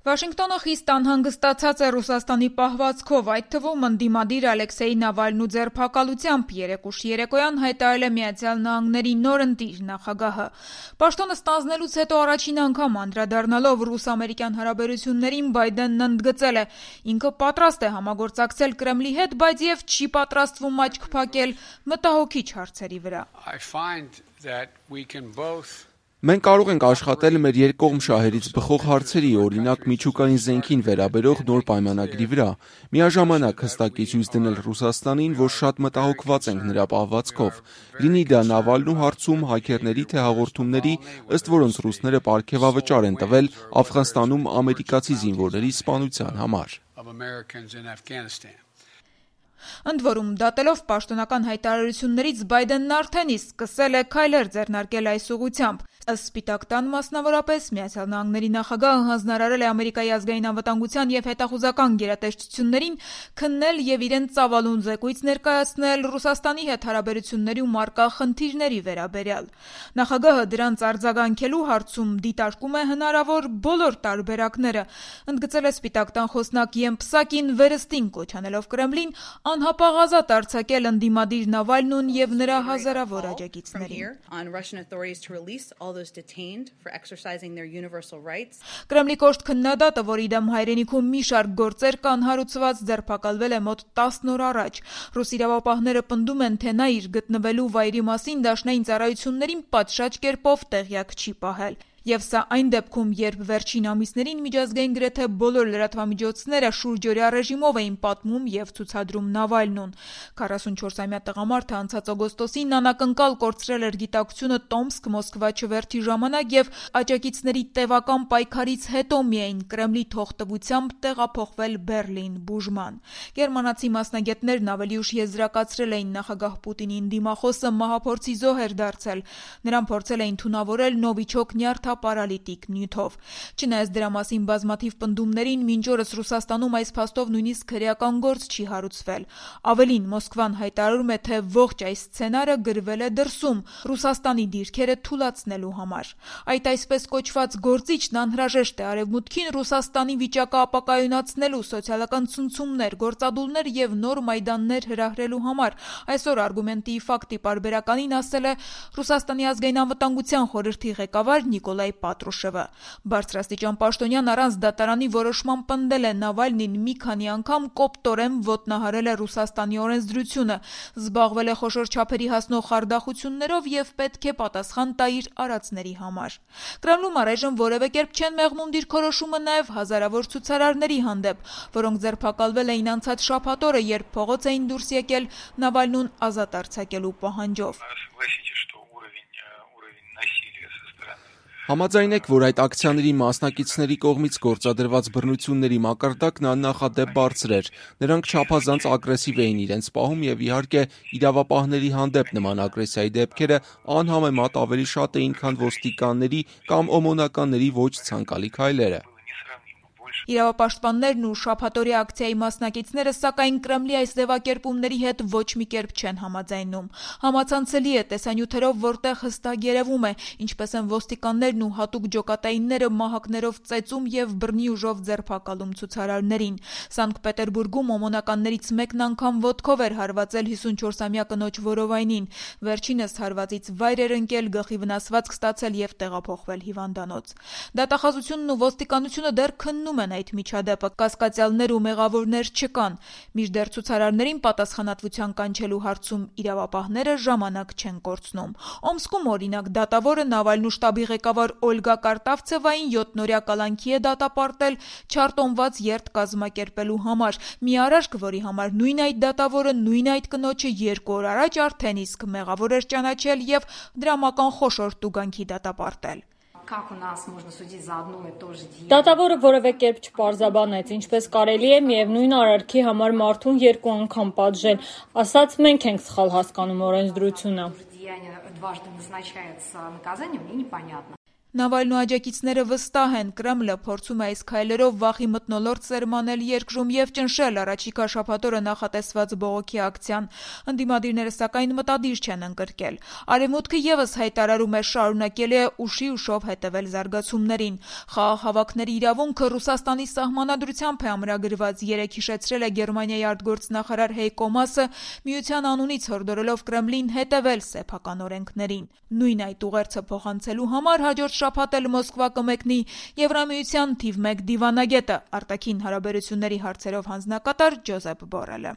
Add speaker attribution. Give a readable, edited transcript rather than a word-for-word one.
Speaker 1: Վաշինգտոնը խիստ անհանգստացած է Ռուսաստանի պահվածքով, այդ թվում ընդդիմադիր Ալեքսեյ Նավալնու ձերբակալությամբ երեկ ուշ երեկոյան հայտարարել է Միացյալ Նահանգների նոր ընտիր նախագահը։ Պաշտոնը ստանձնելուց հետո առաջին անգամ անդրադառնալով ռուս-ամերիկյան հարաբերություններին Բայդենն ընդգծել է. ինքը պատրաստ է համագործակցել Կրեմլի հետ, բայց եւ չի պատրաստվում աչք փակել մտահոգիչ հարցերի վրա։
Speaker 2: Մենք կարող ենք աշխատել մեր երկկողմ շահերից բխող հարցերի, օրինակ միջուկային զենքին վերաբերող նոր պայմանագրի վրա, միաժամանակ հստակի ցույց դնել Ռուսաստանին, որ շատ մտահոգված ենք նրա պահվածքով, լինի դա Նավալնու հարցում, հաքերների թե հաղորդումների, ըստ որոնց ռուսները պարգևավճար են տվել Աֆղանստանում ամերիկացի զինվորների սպանության համար։
Speaker 1: Ընդ որում, դատելով պաշտոնական հայտարարություններից Բայդենն արդեն իսկ սկսել է քայլեր ձեռնարկել այս ուղղությամբ։ Ըստ Սպիտակ տան մասնավորապես Միացյալ Նահանգների նախագահը հանձնարարել է Ամերիկայի ազգային անվտանգության եւ հետախուզական գերատեսչություններին քննել եւ իրենց ծավալուն զեկույց ներկայացնել Ռուսաստանի հետ հարաբերություններում առկա խնդիրների վերաբերյալ։ Նախագահը դրանց արձագանքելու հարցում դիտարկում է հնարավոր բոլոր տարբերակները, ընդգծել է Սպիտակ տան խոսնակ Յեն Պսակին վերստին կոչ անելով Կրեմլին անհապաղ ազատ արձակել ընդդիմադիր Նավալնուն եւ նրա հազարավոր աջակիցներին։ Կրեմլի կոշտ քննադատը, որի դեմ հայրենիքում մի շարք գործեր կան հարուցված, ձերբակալվել է մոտ 10 օր առաջ։ Ռուս իրավապահները պնդում են, թե նա իր գտնվելու վայրի մասին դաշնային ծառայություններին պատշաճ կերպով տեղյակ չի պահել։ Եվ սա այն դեպքում, երբ վերջին ամիսներին միջազգային գրեթե բոլոր լրատվամիջոցները շուրջօրյա ռեժիմով էին պատմում եւ ցուցադրում Նավալնուն։ 44-ամյա տղամարդը անցած օգոստոսին անակնկալ կորցրել էր գիտակցությունը Տոմսկ-Մոսկվա չվերթի ժամանակ եւ աջակիցների տևական պայքարից հետո միայն Կրեմլի թողտվությամբ տեղափոխվել Բեռլին բուժման։ Գերմանացի մասնագետներն ավելի ուշ եզրակացրել էին նախագահ Պուտինին դիմախոսը մահափորձի զոհ էր դարձել։ Նրան փորձել էին թունավորել նովիչոկ նյարդապարալիտիկ նյութով։ Չնայած դրա մասին բազմաթիվ պնդումներին, մինչ օրս Ռուսաստանում այս փաստով նույնիսկ քրեական գործ չի հարուցվել։ Ավելին, Մոսկվան հայտարարում է, թե ողջ այս սցենարը գրվել է դրսում Ռուսաստանի դիրքերը թուլացնելու համար։ Այդ այսպես կոչված գործիչն անհրաժեշտ է Արևմուտքին Ռուսաստանի վիճակը ապակայունացնելու, սոցիալական ցնցումներ, գործադուլներ եւ նոր մայդաններ հրահրելու համար։ Այսօր Արգումենտի ֆակտի պարբերականին ասել է Ռուսաստանի ազգային անվտանգության խորհրդի ղեկավար Նիկոլայ Պատրուշևը։ Բարձրաստիճան պաշտոնյան առանց դատարանի որոշման պնդել է Նավալնին մի քանի անգամ կոպտորեն ոտնահարել է Ռուսաստանի օրենսդրությունը, զբաղվել է խոշոր չափերի հասնող խարդախություններով եւ պետք է պատասխան տա իր արածների համար։ Կրեմլում առայժմ որևէ կերպ չեն մեղմում դիրքորոշումը նաեւ հազարավոր ցուցարարների հանդեպ, որոնք ձերբակալվել էին անցած շաբաթ օրը, երբ փողոց էին դուրս եկել Նավալնուն ազատ արձակելու պահանջով։
Speaker 2: Համաձայնեք, որ այդ ակցիաների մասնակիցների կողմից գործադրված բռնությունների մակարդակն աննախադեպ բարձր էր։ Նրանք չափազանց ագրեսիվ էին իրենց պահում եւ իհարկե իրավապահների հանդեպ նման ագրեսիայի դեպքերը անհամեմատ ավելի շատ էին, քան ոստիկանների կամ օմոնականների ոչ ցանկալի քայլերը։
Speaker 1: Իրավապաշտպաններն ու շաբաթօրյա ակցիայի մասնակիցները սակայն Կրեմլի այս ձևակերպումների հետ ոչ մի կերպ չեն համաձայնում։ Համացանցելի է տեսանյութերով, որտեղ հստակ երևում է, ինչպես են ոստիկաններն ու հատուկ ջոկատայինները մահակներով ծեծում եւ բռնի ուժով ձերբակալում ցուցարարներին։ Սանկտ Պետերբուրգում օմոնականներից մեկն անգամ ոտքով էր հարվածել 54-ամյա կնոջ որովայնին։ Վերջինս հարվածից վայր էր ընկել, գլխի վնասվածք ստացել եւ տեղափոխվել հիվանդանոց։ Դատախազությունն ու ոստիկանությունը դեռ քննում են այդ միջադեպը, կասկածյալներ ու մեղավորներ չկան։ Մինչդեռ ցուցարարներին պատասխանատվության կանչելու հարցում իրավապահները ժամանակ չեն կորցնում։ Օմսկում օրինակ դատավորը Նավալնու շտաբի ղեկավար Օլգա Կարտավցևային 7-օրյա կալանքի է դատապարտել չարտոնված երթ կազմակերպելու համար։ Մի արարք, որի համար նույն այդ դատավորը նույն այդ կնոջը 2 օր առաջ արդեն իսկ մեղավոր էր ճանաչել եւ դրամական խոշոր տուգանքի դատապարտել։
Speaker 3: Դատավորը որևէ կերպ չպարզաբանեց, ինչպես կարելի է միևնույն արարքի համար մարդուն 2 անգամ պատժել, ասաց մենք ենք սխալ հասկանում օրենսդրությունը։
Speaker 1: Նավալնու աջակիցները վստահ են, Կրեմլը փորձում է այս քայլերով վախի մթնոլորտ սերմանել երկրում եւ ճնշել առաջիկա շաբաթօրը նախատեսված բողոքի ակցիան։ Ընդդիմադիրները սակայն մտադիր չեն ընկրկել։ Արևմուտքը եւս հայտարարում է շարունակել է ուշի ուշով հետևել զարգացումներին։ Խաղաղ իրավունքը Ռուսաստանի սահմանադրությամբ է ամրագրված, երեկ հիշեցրել է Գերմանիայի արտգործնախարար Հեյկո Մասը, միության անունից հորդորելով Կրեմլին հետևել սեփական օրենքներին։ Նույն այդ ուղերձը փոխանցելու համար հաջորդ շաբաթ էլ Մոսկվա կմեկնի Եվրամիության թիվ 1 դիվանագետը, արտաքին հարաբերությունների հարցերով հանձնակատար Ջոզեփ Բորելը։